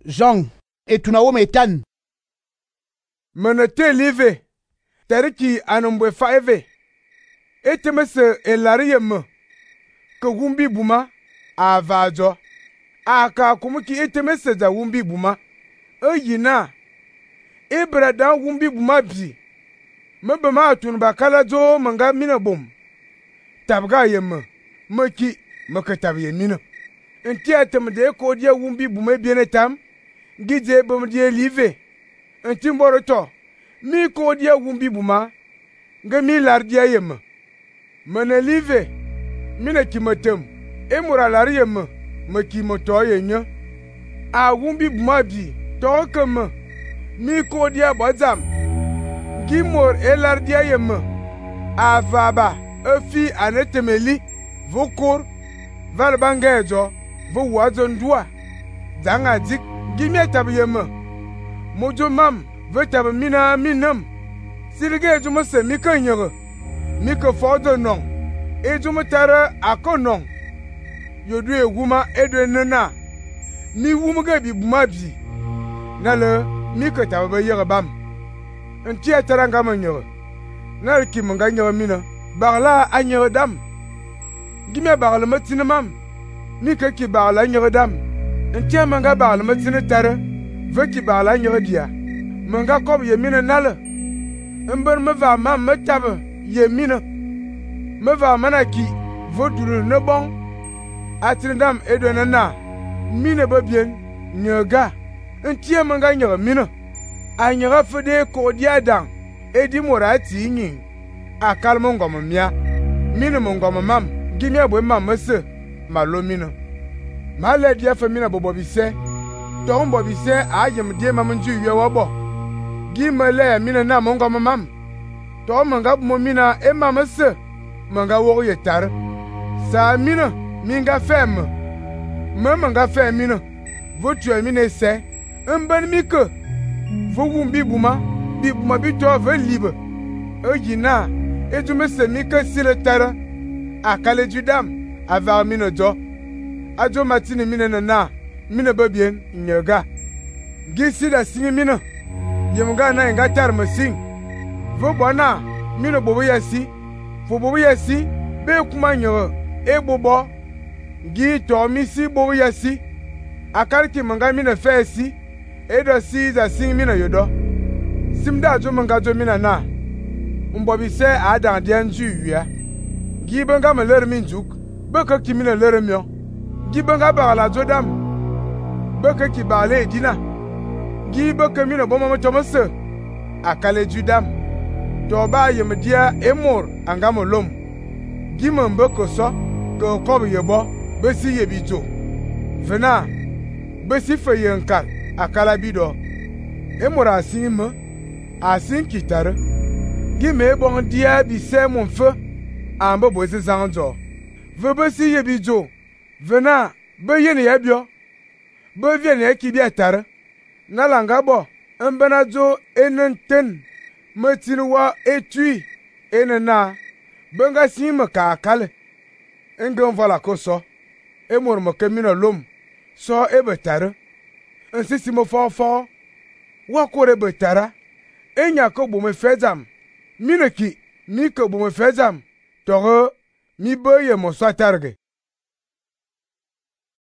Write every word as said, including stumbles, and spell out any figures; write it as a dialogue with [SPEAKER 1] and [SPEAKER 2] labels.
[SPEAKER 1] Jean etuna wo metan.
[SPEAKER 2] Menete live. Teriki anumbwe faeve. Etemese elari yemme. Ke wumbi buma a vajo. Aka kumuki etemese za wumbi buma. E yina. Ebra dan wumbi buma bi. Mebe ma atun bakala zo manga mina bom. Tabga yemme. Meki meke tab yemina. Nti atem de ko dia wumbi buma biene tam. Gide bom die live. Nti mboro to. Mi ko dia wumbi buma. Nge mi lar dia yemme. Mene live. Mine ki metem. E mura lar yemme. Me ki moto yenye. A wumbi buma bi. To keme. Mi ko dia bazam. Gimor elar dia yemme. A vaba. E fi anetemeli. Vokor. Val bangejo. Vo wazon dua. Zanga dik. Gimye tab yemme. Mojo mam. Ve tab mina minam. Silge jume se mi ke nyere. Mi ke fodo non. E jume tare ako non. Yodu e wuma edwe nena. Mi wumge bi buma bi. Nale mi ke tab be yere bam. Nti atara ngama nyere. Nale ki mga nyere mina. Barla a nyere dam. Gimye barla matine mam. Mi ke ki barla nyere dam. Nti mga barla matine tare. Ve ki barla nyere dia. Mga kob yemine nale. Mben me va mam me tabe yemine. Me va manaki vodulu ne bon. Atrindam edwe nena. Mine be bien nyega. Ntie mga nyere mine. A nyere fede kodia dan. Edi morati nyin. A kalmo ngom mia. Mine mo ngom mam. Gimye bwe mam mese. Malo mine. Ma le dia fe mine bobo bise. Ton bobo bise a yem die mam nju ywe wabo. Gime le mine na mo ngom mam. To manga mo mina e mam se. Manga wo yetar. Sa mine minga fem. Me manga fem mine. Vo tu mine se. Mben mi ke. Vo wumbi buma. Bi buma bi to ve libe. E yina. E tu me se mi ke sile tara. Akale judam. Ava mine do. Ajo matini mine na. Mine bebien nyega. Gisi da singi mine. Yemga na nga tar masing. Vo bona mine bobo yasi. Fo bobo yasi be kuma nyo e bobo. Gi to mi si bobo yasi. Akar ki manga mine fe si. E do si za sing mine yodo. Simda jo manga jo mine na. Mbobi se adan de nju wia. Gi benga me ler min juk. Be ka ki mine ler myo. Gi benga ba la jo dam. Be ka ki ba le dina. Gi be ka mine bo mo tomose. Akale judam. To ba yem dia emor angamo lom. Gi mo mbe ko so ko ko ye bo be si ye bijo. Vena be si fe ye nkar akala bido. Emor asin me asin kitare. Gi me bon dia bi se mon fe ambe bo se zanjo. Ve be si ye bijo. Vena be ye ne yabio. Be vie ne ki bi atare. Nalanga bo mbena jo enenten metinwa etui enena benga sima ka kale engem vala koso emor mo kemina lom so ebetare nsisi mo fo fo wa kore betara enya ko bo me fezam mineki mi ko bo me fezam toro mi boye mo satarge